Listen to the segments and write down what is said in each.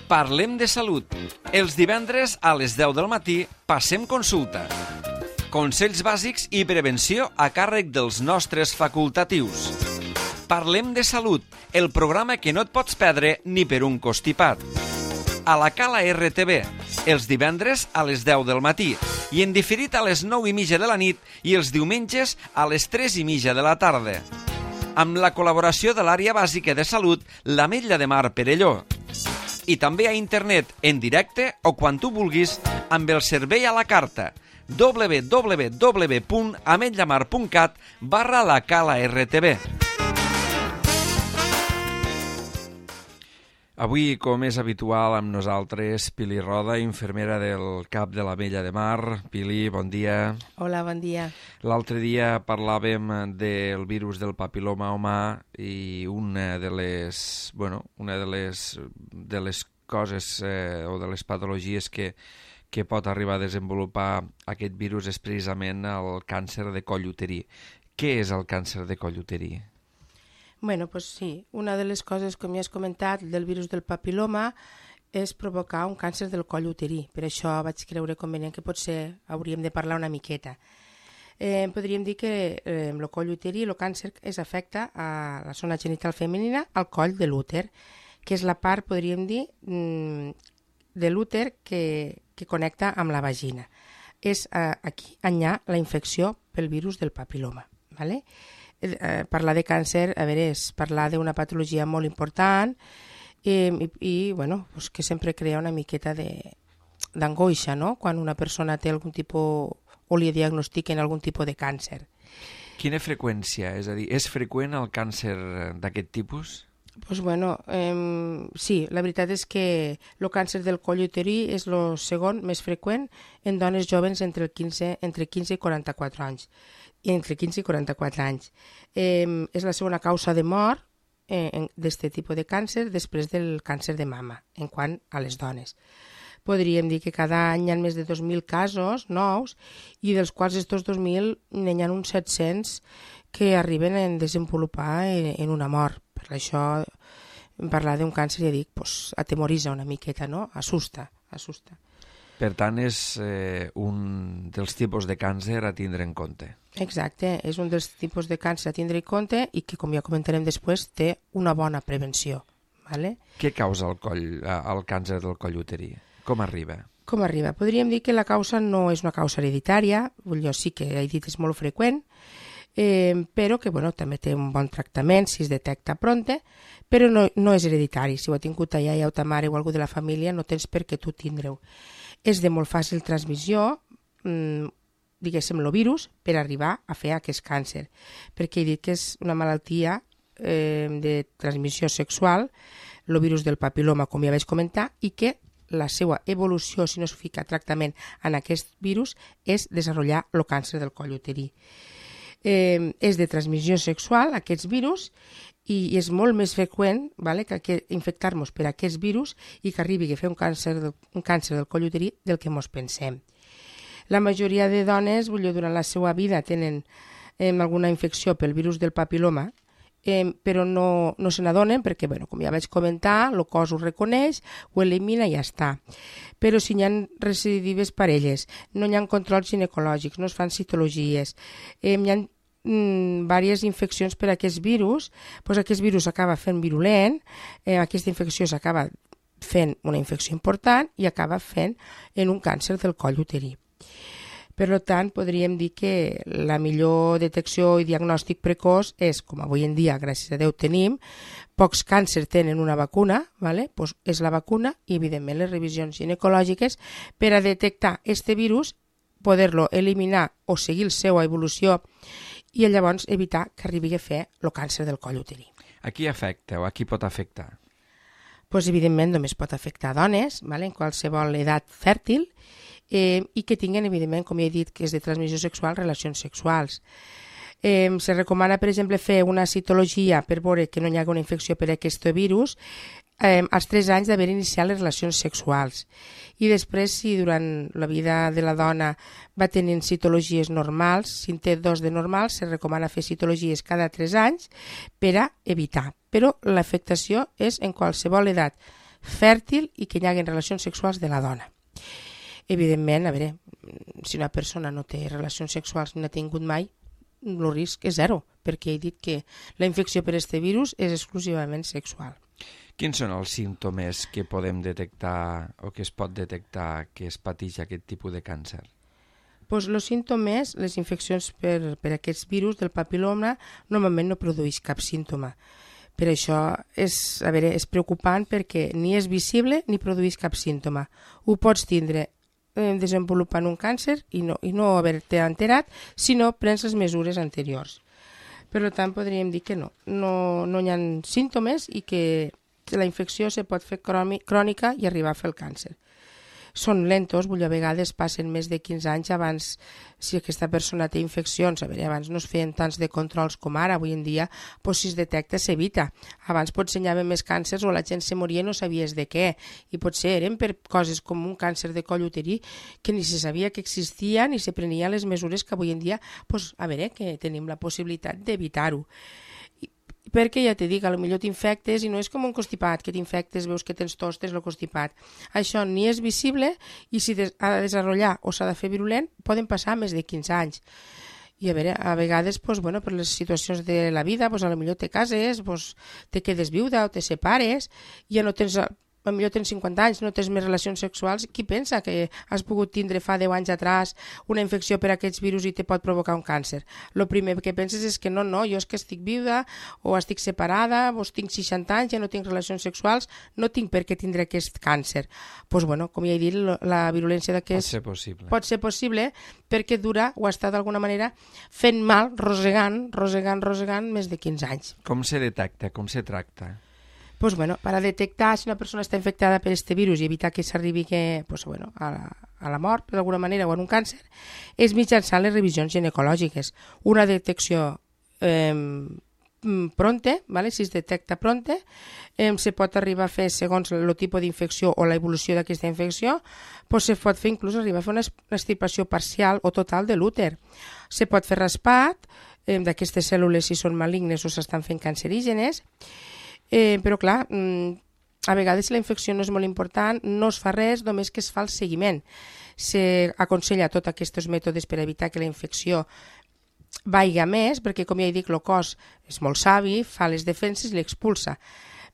Parlem de salut. Els divendres a les 10 del matí passem consulta. Consells bàsics i prevenció a càrrec dels nostres facultatius. Parlem de salut, el programa que no et pots perdre ni per un costipat. A la Cala RTV, els divendres a les 10 del matí i en diferit a les 9:30 de la nit i els diumenges a les 3:30 de la tarda. Amb la col·laboració de l'àrea bàsica de salut, l'Ametlla de Mar Perelló. I també a internet, en directe o quan tu vulguis, amb el servei a la carta www.ametllamar.cat/la Cala RTV. Avui, com és habitual, amb nosaltres, Pili Roda, infermera del CAP de l'Ametlla de Mar. Pili, bon dia. Hola, bon dia. L'altre dia parlàvem del virus del papil·loma humà i una de les coses o de les patologies que pot arribar a desenvolupar aquest virus és precisament el càncer de coll uterí. Què és el càncer de coll uterí? Bueno, pues sí, una de les coses, com ja has comentat, del virus del papil·loma és provocar un càncer del coll uterí. Per això vaig creure convenient que potser hauríem de parlar una miqueta. Podríem dir que el coll uterí, el càncer, afecta a la zona genital femenina, al coll de l'úter, que és la part, podríem dir, de l'úter que connecta amb la vagina. És aquí on hi ha la infecció pel virus del papil·loma, ¿vale? Parlar de càncer, a veure, és parlar d'una patologia molt important i bueno, pues que sempre crea una miqueta d'angoixa, no?, quan una persona té algun tipus o li diagnostiquen algun tipus de càncer. Quina freqüència? És a dir, és freqüent el càncer d'aquest tipus? Pues bueno, sí, la veritat és que el càncer del coll uterí és el segon més freqüent en dones joves entre 15 i 44 anys. És la segona causa de mort d'aquest tipus de càncer després del càncer de mama, en quant a les dones. Podríem dir que cada any hi ha més de 2.000 casos nous i dels quals estos 2.000 n'hi ha uns 700 que arriben a desenvolupar en una mort. Per això parlar d'un càncer, ja dic, pues, atemoritza una miqueta, no? Assusta. Per tant, és un dels tipus de càncer a tindre en compte. Exacte, és un dels tipus de càncer a tindre en compte i que, com ja comentarem després, té una bona prevenció. ¿Vale? Què causa el càncer del coll uterí? Com arriba? Podríem dir que la causa no és una causa hereditària, jo sí que he dit és molt freqüent, però que bueno, també té un bon tractament si es detecta pronte, però no és hereditari. Si ho ha tingut a iaia o ta mare o algú de la família, no tens per què tu tindre-ho. És de molt fàcil transmissió, diguéssim, el virus, per arribar a fer aquest càncer, perquè he dit que és una malaltia de transmissió sexual, el virus del papil·loma, com ja vaig comentar, i que la seva evolució, si no es fica tractament en aquest virus, és desenvolupar el càncer del coll uterí. És de transmissió sexual, aquests virus, i és molt més freqüent, ¿vale?, que infectar-nos per aquest virus i que arribi a fer un càncer del coll uterí del que ens pensem. La majoria de dones, durant la seva vida, tenen alguna infecció pel virus del papil·loma, però no se n'adonen perquè, com ja vaig comentar, el cos ho reconeix, ho elimina i ja està. Però si hi ha recidives parelles, no hi ha controls ginecològics, no es fan citologies, hi ha diverses infeccions per a aquest virus, doncs aquest virus acaba fent virulent, aquesta infecció s'acaba fent una infecció important i acaba fent en un càncer del coll uterí. Per tant, podríem dir que la millor detecció i diagnòstic precoç és, com avui en dia, gràcies a Déu, tenim, pocs càncers tenen una vacuna, ¿vale? Pues és la vacuna i, evidentment, les revisions ginecològiques per a detectar aquest virus, poder-lo eliminar o seguir la seva evolució i llavors evitar que arribi a fer el càncer del coll uterí. A qui afecta o a qui pot afectar? Pues, evidentment, només pot afectar dones, ¿vale?, en qualsevol edat fèrtil, i que tinguen, evidentment, com ja he dit, que és de transmissió sexual, relacions sexuals. Se recomana, per exemple, fer una citologia per veure que no hi ha una infecció per aquest virus als 3 anys d'haver iniciat les relacions sexuals. I després, si durant la vida de la dona va tenint citologies normals, si en té 2 de normals, se recomana fer citologies cada 3 anys per a evitar. Però l'afectació és en qualsevol edat, fèrtil i que hi hagi relacions sexuals de la dona. Evidentment, a veure, si una persona no té relacions sexuals ni n'ha tingut mai, el risc és zero, perquè he dit que la infecció per aquest virus és exclusivament sexual. Quins són els símptomes que podem detectar o que es pot detectar que es pateix aquest tipus de càncer? Pues els símptomes, les infeccions per aquests virus del papil·loma normalment no produeix cap símptoma. Per això és preocupant perquè ni és visible ni produeix cap símptoma. Ho pots tindre desenvolupant un càncer i no haver-te enterat si no prens les mesures anteriors. Per tant, podríem dir que no hi ha símptomes i que la infecció se pot fer crònica i arribar a fer el càncer. Són lentos, a vegades passen més de 15 anys abans, si aquesta persona té infeccions, abans no es feien tants de controls com ara, avui en dia, si es detecta s'evita. Abans potser hi havia més càncers o la gent se moria i no sabies de què, i potser eren per coses com un càncer de coll uterí que ni se sabia que existia ni se prenien les mesures que avui en dia, que tenim la possibilitat d'evitar-ho. Perquè ja t'he dit, potser t'infectes i no és com un constipat, que t'infectes, veus que tens tos, tens el constipat. Això ni és visible i si ha de desenvolupar o s'ha de fer virulent poden passar més de 15 anys. I a vegades, per les situacions de la vida, potser te cases, te quedes viuda o te separes, ja no tens... Potser tens 50 anys, no tens més relacions sexuals, qui pensa que has pogut tindre fa 10 anys atrás una infecció per aquests virus i te pot provocar un càncer? El primer que penses és que no, jo és que estic viuda o estic separada, tinc 60 anys, ja no tinc relacions sexuals, no tinc per què tindre aquest càncer. Com ja he dit, la virulència d'aquest pot ser possible perquè dura o està d'alguna manera fent mal, rosegant més de 15 anys. Com se detecta, com se tracta? Per detectar si una persona està infectada per aquest virus i evitar que s'arribi a la mort d'alguna manera o en un càncer, és mitjançant les revisions ginecològiques. Una detecció pronta, si es detecta pronta, se pot arribar a fer, segons el tipus d'infecció o l'evolució d'aquesta infecció, se pot fer inclús arribar a fer una extirpació parcial o total de l'úter. Se pot fer raspat d'aquestes cèl·lules si són malignes o s'estan fent cancerígenes, però clar, a vegades la infecció no és molt important, no es fa res, només que es fa el seguiment. S'aconsella tots aquests mètodes per evitar que la infecció vaiga més, perquè com ja he dit, el cos és molt savi, fa les defenses i l'expulsa.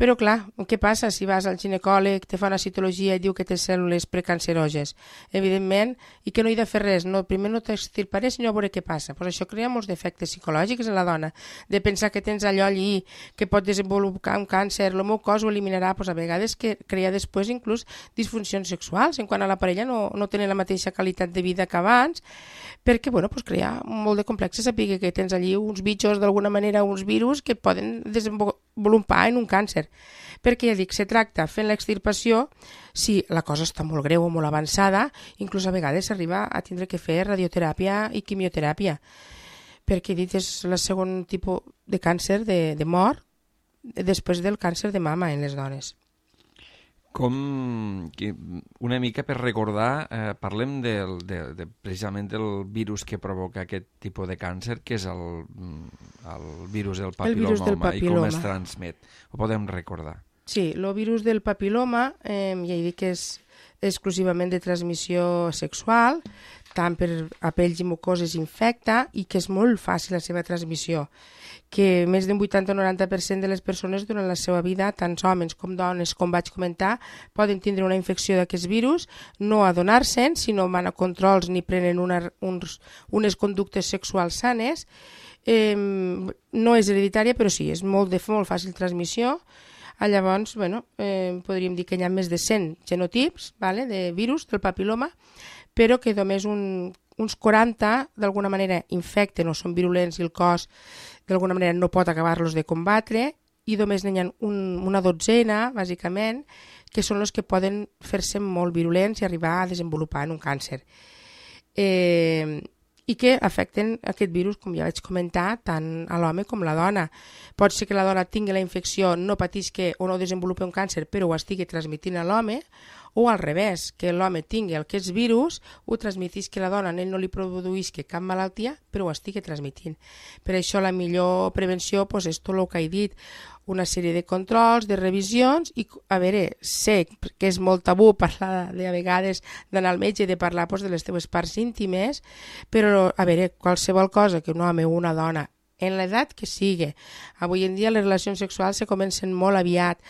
Però clar, què passa si vas al ginecòleg, te fa una citologia i diu que té cèl·lules precanceròges? Evidentment, i que no hi ha de fer res, primer no t'extirparé, sinó a veure què passa. Això crea molts defectes psicològics en la dona, de pensar que tens allò allí, que pot desenvolupar un càncer, el meu cos ho eliminarà, a vegades que crea després inclús disfuncions sexuals, en quant a la parella no tenen la mateixa qualitat de vida que abans, perquè crea molt de complex saber que tens allí uns bitxos d'alguna manera, uns virus que poden desenvolupar en un càncer. Perquè ja dic, se tracta fent l'extirpació si la cosa està molt greu o molt avançada, inclús a vegades s'arriba a tindre que fer radioteràpia i quimioteràpia, perquè he dit és el segon tipus de càncer de mort després del càncer de mama en les dones. Una mica per recordar, parlem precisament del virus que provoca aquest tipus de càncer, que és el virus del papil·loma i com es transmet. Ho podem recordar? Sí, el virus del papil·loma ja he dit que és exclusivament de transmissió sexual, tant per a pells i mucoses infecta i que és molt fàcil la seva transmissió, que més d'un 80 o 90% de les persones durant la seva vida, tant homes com dones, com vaig comentar, poden tindre una infecció d'aquests virus, no adonar-se'n, si no van a controls ni prenen unes conductes sexuals sanes. No és hereditària, però sí, és molt fàcil transmissió. Llavors, podríem dir que hi ha més de 100 genotips de virus del papil·loma, però que només uns 40 d'alguna manera infecten o són virulents i el cos d'alguna manera no pot acabar-los de combatre, i només n'hi ha una dotzena, bàsicament, que són els que poden fer-se molt virulents i arribar a desenvolupar en un càncer. I que afecten aquest virus, com ja vaig comentar, tant a l'home com a la dona. Pot ser que la dona tingui la infecció, no patisca o no desenvolupi un càncer, però ho estigui transmitint a l'home, o al revés, que l'home tingui aquests virus, ho transmetisca a la dona, a ell no li produïsca cap malaltia, però ho estigui transmitint. Per això la millor prevenció és tot el que he dit, una sèrie de controls, de revisions, i a veure, sé que és molt tabú parlar de a vegades d'anar al metge i de parlar doncs, de les teves parts íntimes, però a veure, qualsevol cosa que un home o una dona, en l'edat que sigui, avui en dia les relacions sexuals se comencen molt aviat,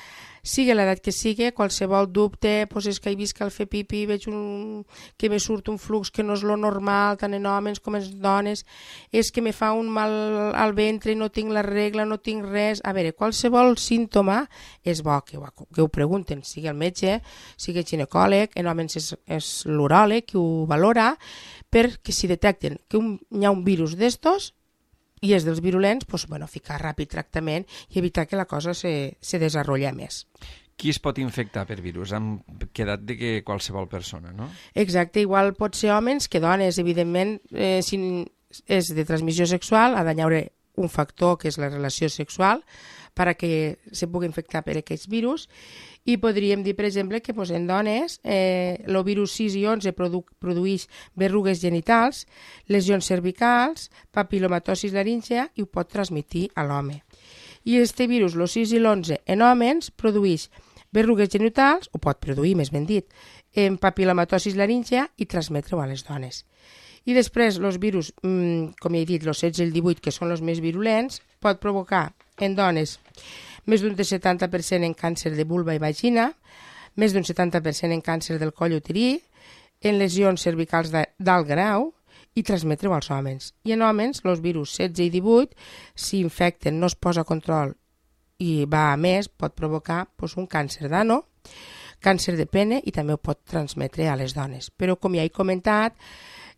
sigui l'edat que sigui, qualsevol dubte, doncs és que he vist que al fer pipi veig que me surt un flux que no és lo normal, tant en homes com en dones, és que me fa un mal al ventre, no tinc la regla, no tinc res. A veure, qualsevol símptoma és bo que ho pregunten, sigui el metge, sigui el ginecòleg, en homes és l'uròleg que ho valora, perquè si detecten que hi ha un virus d'estos, i és dels virulents, doncs, ficar ràpid tractament i evitar que la cosa se desenrotlla més. Qui es pot infectar per virus? Hem quedat de que qualsevol persona, no? Exacte, igual pot ser homes que dones, evidentment, si és de transmissió sexual, ha d'haver un factor que és la relació sexual perquè se pugui infectar per aquests virus, i podríem dir, per exemple, que en dones el virus 6 i 11 produeix berrugues genitals, lesions cervicals, papilomatosis laríngea i ho pot transmetre a l'home. I este virus, el 6 i l'11, en homes produeix berrugues genitals, o pot produir, més ben dit, en papilomatosis laríngea i transmetre-ho a les dones. I després, els virus, com ja he dit, els 16 i el 18, que són els més virulents, pot provocar en dones més d'un 70% en càncer de vulva i vagina, més d'un 70% en càncer del coll uterí, en lesions cervicals d'alt grau i transmetre-ho als homes. I en homes, els virus 16 i 18, si infecten, no es posa control i va a més, pot provocar un càncer d'ano, càncer de pene i també ho pot transmetre a les dones. Però, com ja he comentat,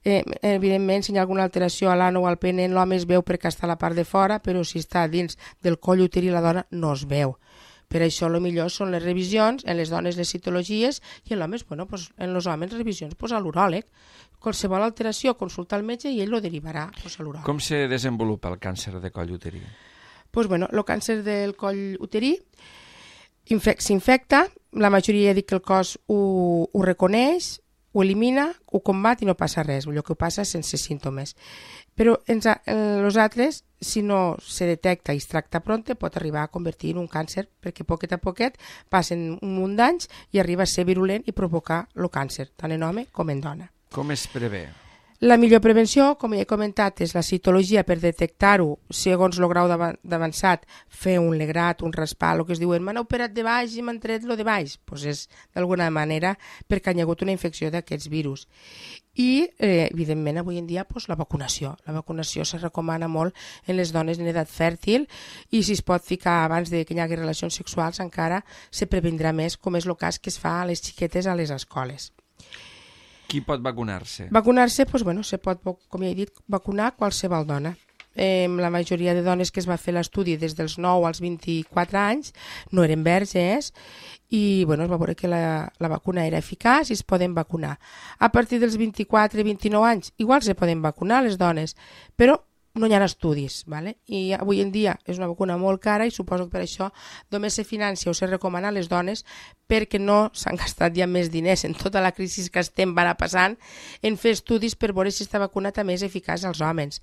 evidentment, si hi ha alguna alteració a l'ano o al pene, l'home es veu perquè està a la part de fora, però si està dins del coll uterí la dona no es veu. Per això el millor són les revisions, en les dones les citologies i en l'homes, en els homes revisions a l'uròleg. Qualsevol alteració, consulta al metge i ell lo derivarà a l'uròleg. Com se desenvolupa el càncer de coll uterí? El càncer del coll uterí s'infecta, la majoria dic que el cos ho reconeix, ho elimina, ho combat i no passa res, el que passa sense símptomes. Però els altres, si no se detecta i es tracta prompte, pot arribar a convertir en un càncer, perquè poquet a poquet passen un munt d'anys i arriba a ser virulent i provocar el càncer, tant en home com en dona. Com es prevé? La millor prevenció, com ja he comentat, és la citologia per detectar-ho segons el grau d'avançat, fer un legrat, un raspar, el que es diuen m'han operat de baix i m'han tret lo de baix, és d'alguna manera perquè hi ha hagut una infecció d'aquests virus. I, evidentment, avui en dia, la vacunació. La vacunació se recomana molt en les dones en edat fèrtil i si es pot ficar abans de que hi hagi relacions sexuals encara se previndrà més, com és el cas que es fa a les xiquetes a les escoles. Qui pot vacunar-se? Vacunar-se, se pot, com ja he dit, vacunar qualsevol dona. La majoria de dones que es va fer l'estudi des dels 9 als 24 anys no eren verges i es va veure que la vacuna era eficaç i es poden vacunar. A partir dels 24 i 29 anys igual se poden vacunar les dones, però no hi ha estudis, ¿vale? I avui en dia és una vacuna molt cara i suposo que per això només se financia o se recomana a les dones perquè no s'han gastat ja més diners en tota la crisi que estem passant en fer estudis per veure si aquesta vacuna també és eficaç als homes.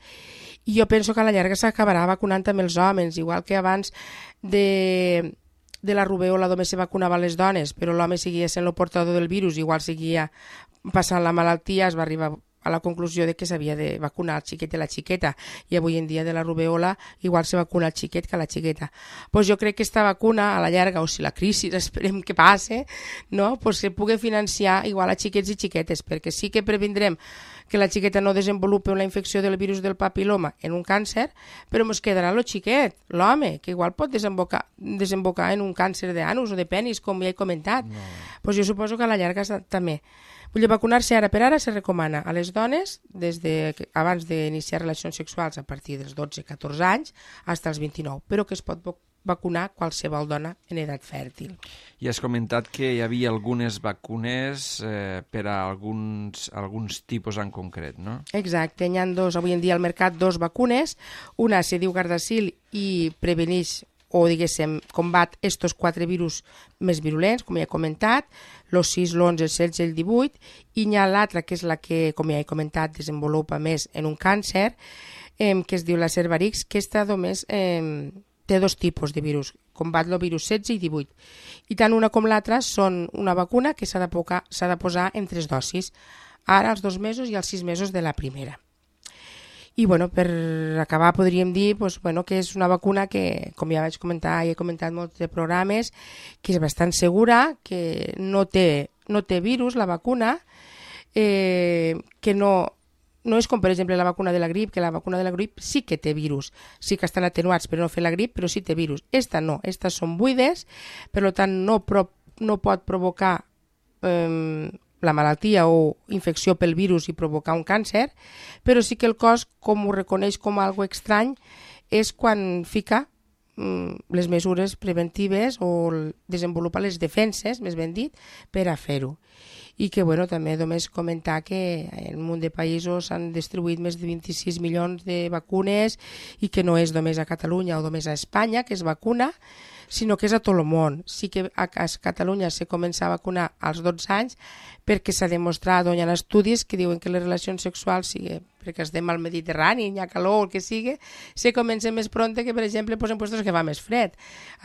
I jo penso que a la llarga s'acabarà vacunant també els homes, igual que abans de la rubèola només se vacunava a les dones, però l'home seguia sent el portador del virus, igual seguia passant la malaltia, es va arribar a la conclusió de que s'havia de vacunar el xiquet i la xiqueta i avui en dia de la rubèola igual se vacuna el xiquet que la xiqueta. Jo crec que aquesta vacuna a la llarga, o si la crisi esperem que passe, no? Se pugui financiar igual a xiquets i xiquetes, perquè sí que previndrem que la xiqueta no desenvolupi una infecció del virus del papiloma en un càncer, però ens quedarà el xiquet, l'home, que igual pot desembocar en un càncer d'anus o de penis, com ja he comentat. No. Jo suposo que a la llarga també. Vacunar-se ara per ara se recomana a les dones abans d'iniciar relacions sexuals a partir dels 12-14 anys fins als 29, però que es pot vacunar qualsevol dona en edat fèrtil. I has comentat que hi havia algunes vacunes per a alguns tipus en concret, no? Exacte, hi ha avui en dia al mercat dos vacunes, una se diu Gardasil i preveneix o, diguéssim, combat estos 4 virus més virulents, com ja he comentat, el 6, l'11, el 16 i el 18, i hi ha l'altra, que és la que, com ja he comentat, desenvolupa més en un càncer, que es diu la Cervarix, que està només té dos tipus de virus, combat el virus 16 i 18. I tant una com l'altra són una vacuna que s'ha de posar en 3 dosis, ara als 2 mesos i als 6 mesos de la primera. I per acabar podríem dir que és una vacuna que, com ja vaig comentar i he comentat molts de programes, que és bastant segura, que no té virus la vacuna, que no és com per exemple la vacuna de la grip, que la vacuna de la grip sí que té virus, sí que estan atenuats per no fer la grip, però sí té virus. Esta no, estas són buides, per tant no pot provocar la malaltia o infecció pel virus i provocar un càncer, però sí que el cos, com ho reconeix com algo estrany, és quan fica les mesures preventives o desenvolupa les defenses, més ben dit, per a fer-ho. I que també només comentar que en un munt de països s'han distribuït més de 26 milions de vacunes i que no és només a Catalunya o només a Espanya que es vacuna, sinó que és a tot el món. Sí que a Catalunya se comença a vacunar als 12 anys perquè s'ha demostrat, hi ha estudis que diuen que les relacions sexuals, perquè estem al Mediterrani, hi ha calor, el que sigui, se comença més pronte que, per exemple, en puestos que va més fred.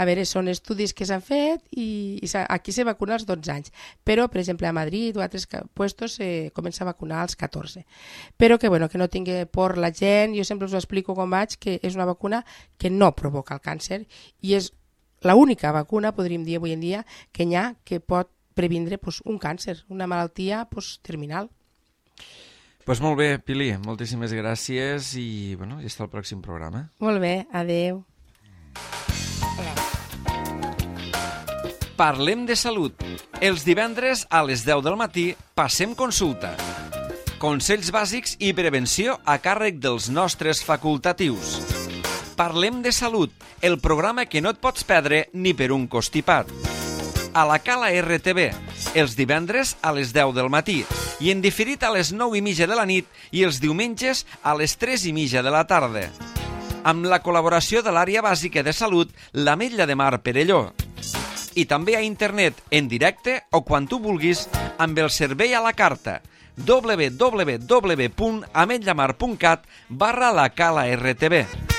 A veure, són estudis que s'han fet i aquí se vacuna als 12 anys. Però, per exemple, a Madrid o a altres puestos se comença a vacunar als 14. Però que no tingui por la gent, jo sempre us ho explico com vaig, que és una vacuna que no provoca el càncer i és l'única vacuna, podríem dir avui en dia, que hi ha que pot previndre un càncer, una malaltia terminal. Doncs molt bé, Pili, moltíssimes gràcies i està al pròxim programa. Molt bé, adeu. Parlem de salut. Els divendres a les 10 del matí passem consulta. Consells bàsics i prevenció a càrrec dels nostres facultatius. Parlem de salut, el programa que no et pots perdre ni per un costipat. A la Cala RTV, els divendres a les 10 del matí i en diferit a les 9:30 de la nit i els diumenges a les 3:30 de la tarda. Amb la col·laboració de l'àrea bàsica de salut, l'Ametlla de Mar Perelló. I també a internet, en directe o quan tu vulguis, amb el servei a la carta www.ametllamar.cat/la Cala RTV.